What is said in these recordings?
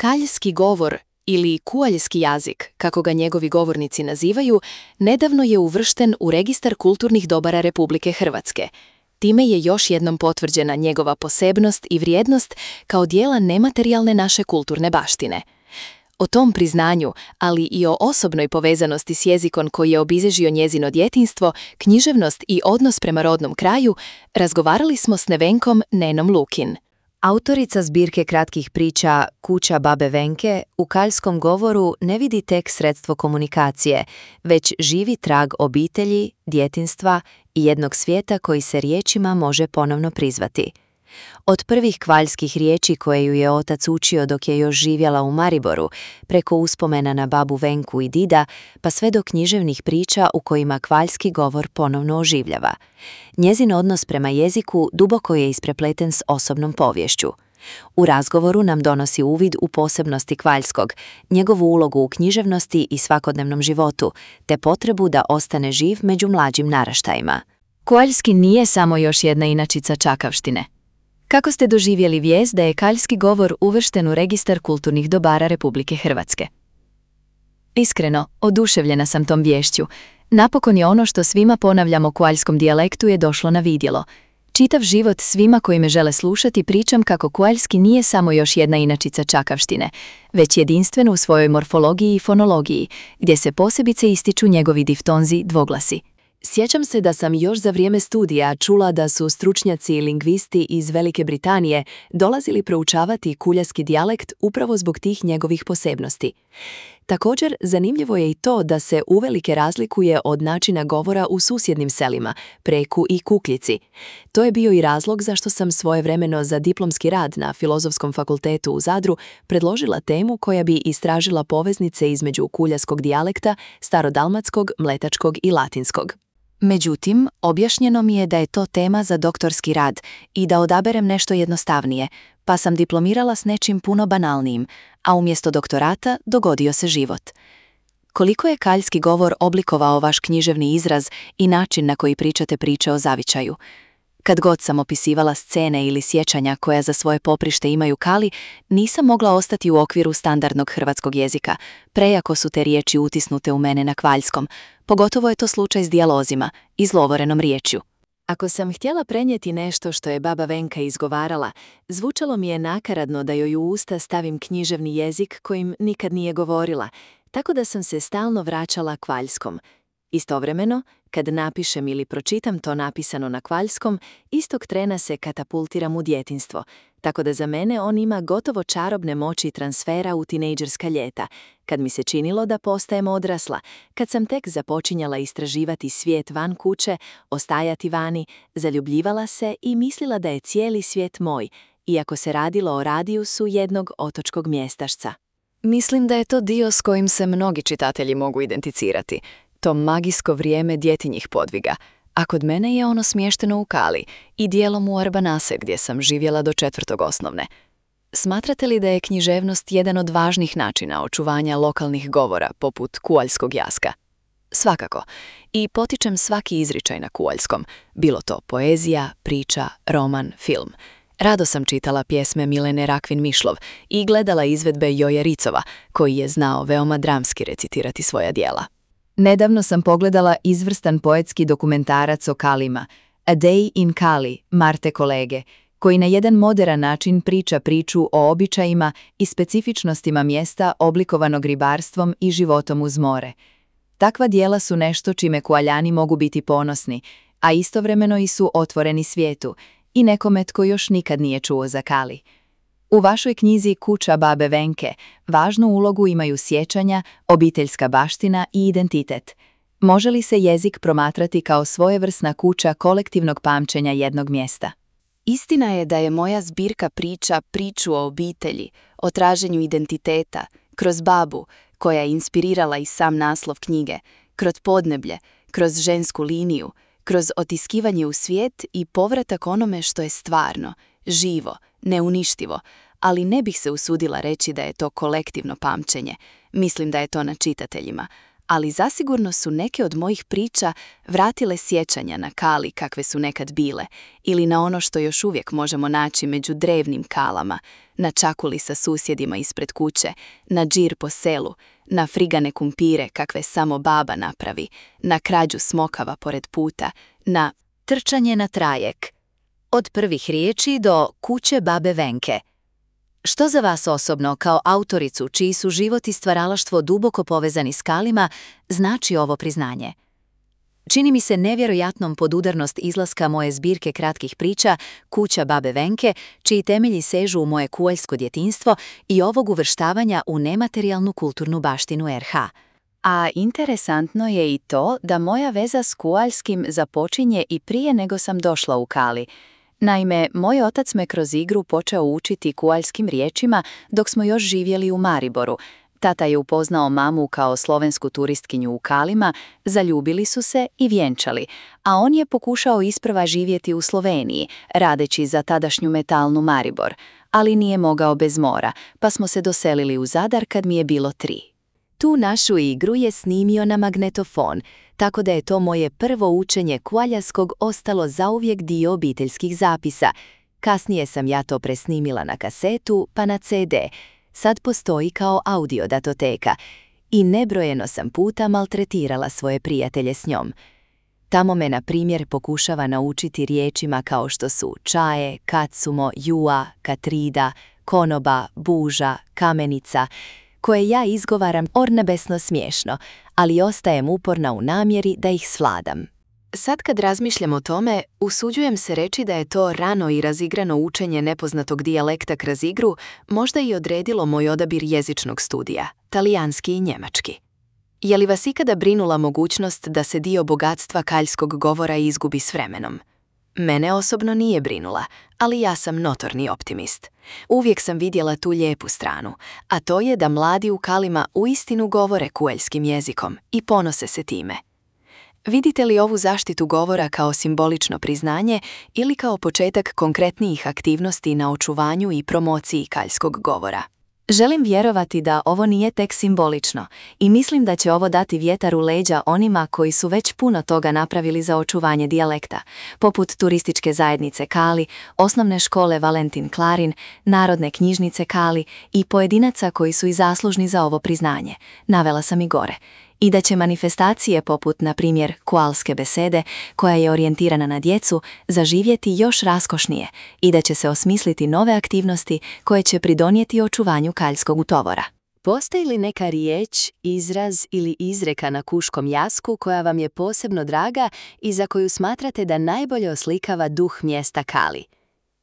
Kaljski govor ili kualjski jazik, kako ga njegovi govornici nazivaju, nedavno je uvršten u Registar kulturnih dobara Republike Hrvatske. Time je još jednom potvrđena njegova posebnost i vrijednost kao dijela nematerijalne naše kulturne baštine. O tom priznanju, ali i o osobnoj povezanosti s jezikom koji je obilježio njezino djetinjstvo, književnost i odnos prema rodnom kraju, razgovarali smo s Nevenkom Nenom Lukin. Autorica zbirke kratkih priča Kuća babe Venke u kaljskom govoru ne vidi tek sredstvo komunikacije, već živi trag obitelji, djetinjstva i jednog svijeta koji se riječima može ponovno prizvati. Od prvih kvaljskih riječi koje ju je otac učio dok je još živjela u Mariboru, preko uspomena na babu Venku i dida, pa sve do književnih priča u kojima kvaljski govor ponovno oživljava. Njezin odnos prema jeziku duboko je isprepleten s osobnom poviješću. U razgovoru nam donosi uvid u posebnosti kvaljskog, njegovu ulogu u književnosti i svakodnevnom životu, te potrebu da ostane živ među mlađim naraštajima. Kvaljski nije samo još jedna inačica čakavštine. Kako ste doživjeli vijest da je kaljski govor uvršten u Registar kulturnih dobara Republike Hrvatske? Iskreno, oduševljena sam tom viješću. Napokon je ono što svima ponavljamo o kvaljskom dijalektu je došlo na vidjelo. Čitav život svima koji me žele slušati pričam kako kvaljski nije samo još jedna inačica čakavštine, već jedinstven u svojoj morfologiji i fonologiji, gdje se posebice ističu njegovi diftonzi dvoglasi. Sjećam se da sam još za vrijeme studija čula da su stručnjaci i lingvisti iz Velike Britanije dolazili proučavati kuljarski dijalekt upravo zbog tih njegovih posebnosti. Također, zanimljivo je i to da se uvelike razlikuje od načina govora u susjednim selima, Preku i Kukljici. To je bio i razlog zašto sam svojevremeno za diplomski rad na Filozofskom fakultetu u Zadru predložila temu koja bi istražila poveznice između kuljarskog dijalekta, starodalmatskog, mletačkog i latinskog. Međutim, objašnjeno mi je da je to tema za doktorski rad i da odaberem nešto jednostavnije, pa sam diplomirala s nečim puno banalnijim, a umjesto doktorata dogodio se život. Koliko je kaljski govor oblikovao vaš književni izraz i način na koji pričate priče o zavičaju? Kad god sam opisivala scene ili sjećanja koja za svoje poprište imaju kali, nisam mogla ostati u okviru standardnog hrvatskog jezika, prejako su te riječi utisnute u mene na kvaljskom, pogotovo je to slučaj s dijalozima, izlovorenom riječju. Ako sam htjela prenijeti nešto što je baba Venka izgovarala, zvučalo mi je nakaradno da joj u usta stavim književni jezik kojim nikad nije govorila, tako da sam se stalno vraćala kvaljskom. Istovremeno, kad napišem ili pročitam to napisano na kvaljskom, istog trena se katapultiram u djetinjstvo, tako da za mene on ima gotovo čarobne moći transfera u tinejdžerska ljeta, kad mi se činilo da postajem odrasla, kad sam tek započinjala istraživati svijet van kuće, ostajati vani, zaljubljivala se i mislila da je cijeli svijet moj, iako se radilo o radijusu jednog otočkog mjestašca. Mislim da je to dio s kojim se mnogi čitatelji mogu identificirati. To magijsko vrijeme djetinjih podviga, a kod mene je ono smješteno u Kali i dijelom u Arbanase gdje sam živjela do 4. osnovne. Smatrate li da je književnost jedan od važnih načina očuvanja lokalnih govora poput kualjskog jaska? Svakako, i potičem svaki izričaj na kualjskom, bilo to poezija, priča, roman, film. Rado sam čitala pjesme Milene Rakvin-Mišlov i gledala izvedbe Joje Ricova, koji je znao veoma dramski recitirati svoja djela. Nedavno sam pogledala izvrstan poetski dokumentarac o Kalima, A Day in Kali, Marte kolege, koji na jedan moderan način priča priču o običajima i specifičnostima mjesta oblikovanog ribarstvom i životom uz more. Takva djela su nešto čime Kualjani mogu biti ponosni, a istovremeno i su otvoreni svijetu i nekome tko još nikad nije čuo za Kali. U vašoj knjizi Kuća babe Venke važnu ulogu imaju sjećanja, obiteljska baština i identitet. Može li se jezik promatrati kao svojevrsna kuća kolektivnog pamćenja jednog mjesta? Istina je da je moja zbirka priča priču o obitelji, o traženju identiteta, kroz babu, koja je inspirirala i sam naslov knjige, kroz podneblje, kroz žensku liniju, kroz otiskivanje u svijet i povratak onome što je stvarno, živo, neuništivo, ali ne bih se usudila reći da je to kolektivno pamćenje. Mislim da je to na čitateljima, ali zasigurno su neke od mojih priča vratile sjećanja na kali kakve su nekad bile ili na ono što još uvijek možemo naći među drevnim kalama, na čakuli sa susjedima ispred kuće, na džir po selu, na frigane kumpire kakve samo baba napravi, na krađu smokava pored puta, na trčanje na trajek. Od prvih riječi do kuće babe Venke. Što za vas osobno, kao autoricu čiji su život i stvaralaštvo duboko povezani s kalima, znači ovo priznanje? Čini mi se nevjerojatnom podudarnost izlaska moje zbirke kratkih priča Kuća babe Venke, čiji temelji sežu u moje kualjsko djetinjstvo i ovog uvrštavanja u nematerijalnu kulturnu baštinu RH. A interesantno je i to da moja veza s kualjskim započinje i prije nego sam došla u Kali. Naime, moj otac me kroz igru počeo učiti kualjskim riječima dok smo još živjeli u Mariboru. Tata je upoznao mamu kao slovensku turistkinju u Kalima, zaljubili su se i vjenčali, a on je pokušao isprva živjeti u Sloveniji, radeći za tadašnju metalnu Maribor, ali nije mogao bez mora, pa smo se doselili u Zadar kad mi je bilo 3. Tu našu igru je snimio na magnetofon, tako da je to moje prvo učenje kualjarskog ostalo zauvijek dio obiteljskih zapisa. Kasnije sam ja to presnimila na kasetu, pa na CD. Sad postoji kao audio datoteka i nebrojeno sam puta maltretirala svoje prijatelje s njom. Tamo me, na primjer, pokušava naučiti riječima kao što su čaje, kacumo, jua, katrida, konoba, buža, kamenica, koje ja izgovaram ornebesno smiješno, ali ostajem uporna u namjeri da ih svladam. Sad kad razmišljam o tome, usuđujem se reći da je to rano i razigrano učenje nepoznatog dijalekta kroz igru možda i odredilo moj odabir jezičnog studija, talijanski i njemački. Je li vas ikada brinula mogućnost da se dio bogatstva kaljskog govora izgubi s vremenom? Mene osobno nije brinula, ali ja sam notorni optimist. Uvijek sam vidjela tu lijepu stranu, a to je da mladi u Kalima uistinu govore kualjskim jezikom i ponose se time. Vidite li ovu zaštitu govora kao simbolično priznanje ili kao početak konkretnijih aktivnosti na očuvanju i promociji kaljskog govora? Želim vjerovati da ovo nije tek simbolično i mislim da će ovo dati vjetar u leđa onima koji su već puno toga napravili za očuvanje dijalekta, poput turističke zajednice Kali, osnovne škole Valentin Klarin, Narodne knjižnice Kali i pojedinaca koji su i zaslužni za ovo priznanje. Navela sam i gore. I da će manifestacije poput, na primjer, kualske besede, koja je orijentirana na djecu, zaživjeti još raskošnije i da će se osmisliti nove aktivnosti koje će pridonijeti očuvanju kaljskog utovora. Postoji li neka riječ, izraz ili izreka na kuškom jasku koja vam je posebno draga i za koju smatrate da najbolje oslikava duh mjesta Kali?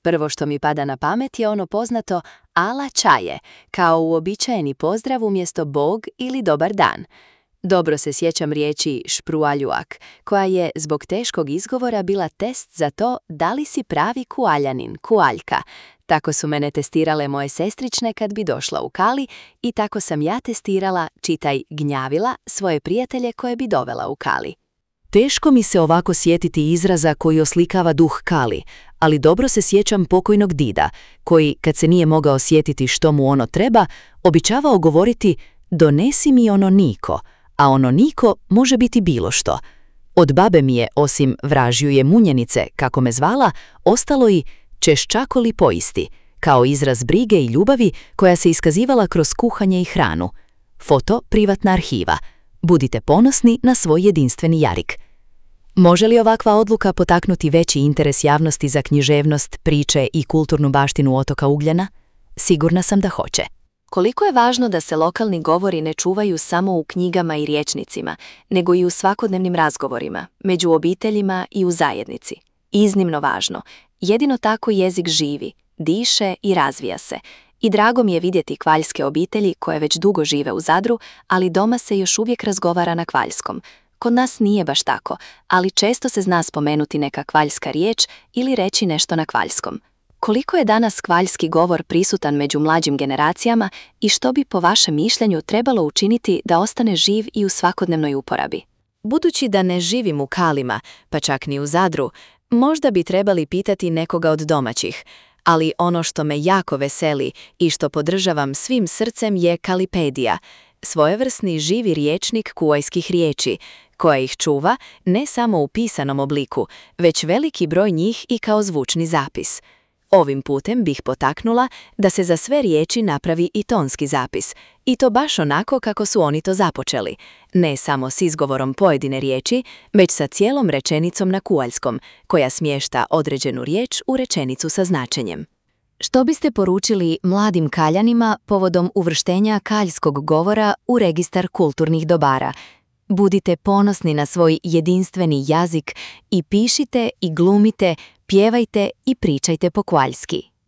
Prvo što mi pada na pamet je ono poznato ala čaje, kao uobičajeni pozdrav umjesto bog ili dobar dan. Dobro se sjećam riječi šprualjuak, koja je zbog teškog izgovora bila test za to da li si pravi kualjanin, kualjka. Tako su mene testirale moje sestrične kad bi došla u Kali i tako sam ja testirala, čitaj gnjavila, svoje prijatelje koje bi dovela u Kali. Teško mi se ovako sjetiti izraza koji oslikava duh Kali, ali dobro se sjećam pokojnog dida, koji, kad se nije mogao sjetiti što mu ono treba, običavao govoriti donesi mi ono niko, a ono niko može biti bilo što. Od babe mi je, osim vražjuje munjenice, kako me zvala, ostalo i češčakoli poisti, kao izraz brige i ljubavi koja se iskazivala kroz kuhanje i hranu. Foto privatna arhiva. Budite ponosni na svoj jedinstveni jarik. Može li ovakva odluka potaknuti veći interes javnosti za književnost, priče i kulturnu baštinu otoka Ugljana? Sigurna sam da hoće. Koliko je važno da se lokalni govori ne čuvaju samo u knjigama i rječnicima, nego i u svakodnevnim razgovorima, među obiteljima i u zajednici. Iznimno važno. Jedino tako jezik živi, diše i razvija se. I drago mi je vidjeti kvaljske obitelji koje već dugo žive u Zadru, ali doma se još uvijek razgovara na kvaljskom. Kod nas nije baš tako, ali često se zna spomenuti neka kvaljska riječ ili reći nešto na kvaljskom. Koliko je danas kvaljski govor prisutan među mlađim generacijama i što bi po vašem mišljenju trebalo učiniti da ostane živ i u svakodnevnoj uporabi? Budući da ne živim u Kalima, pa čak ni u Zadru, možda bi trebali pitati nekoga od domaćih, ali ono što me jako veseli i što podržavam svim srcem je Kalipedija, svojevrsni živi rječnik kuajskih riječi, koja ih čuva ne samo u pisanom obliku, već veliki broj njih i kao zvučni zapis. Ovim putem bih potaknula da se za sve riječi napravi i tonski zapis, i to baš onako kako su oni to započeli, ne samo s izgovorom pojedine riječi, već sa cijelom rečenicom na kualjskom, koja smješta određenu riječ u rečenicu sa značenjem. Što biste poručili mladim Kaljanima povodom uvrštenja kaljskog govora u registar kulturnih dobara? Budite ponosni na svoj jedinstveni jezik i pišite i glumite, pjevajte i pričajte po kvaljski.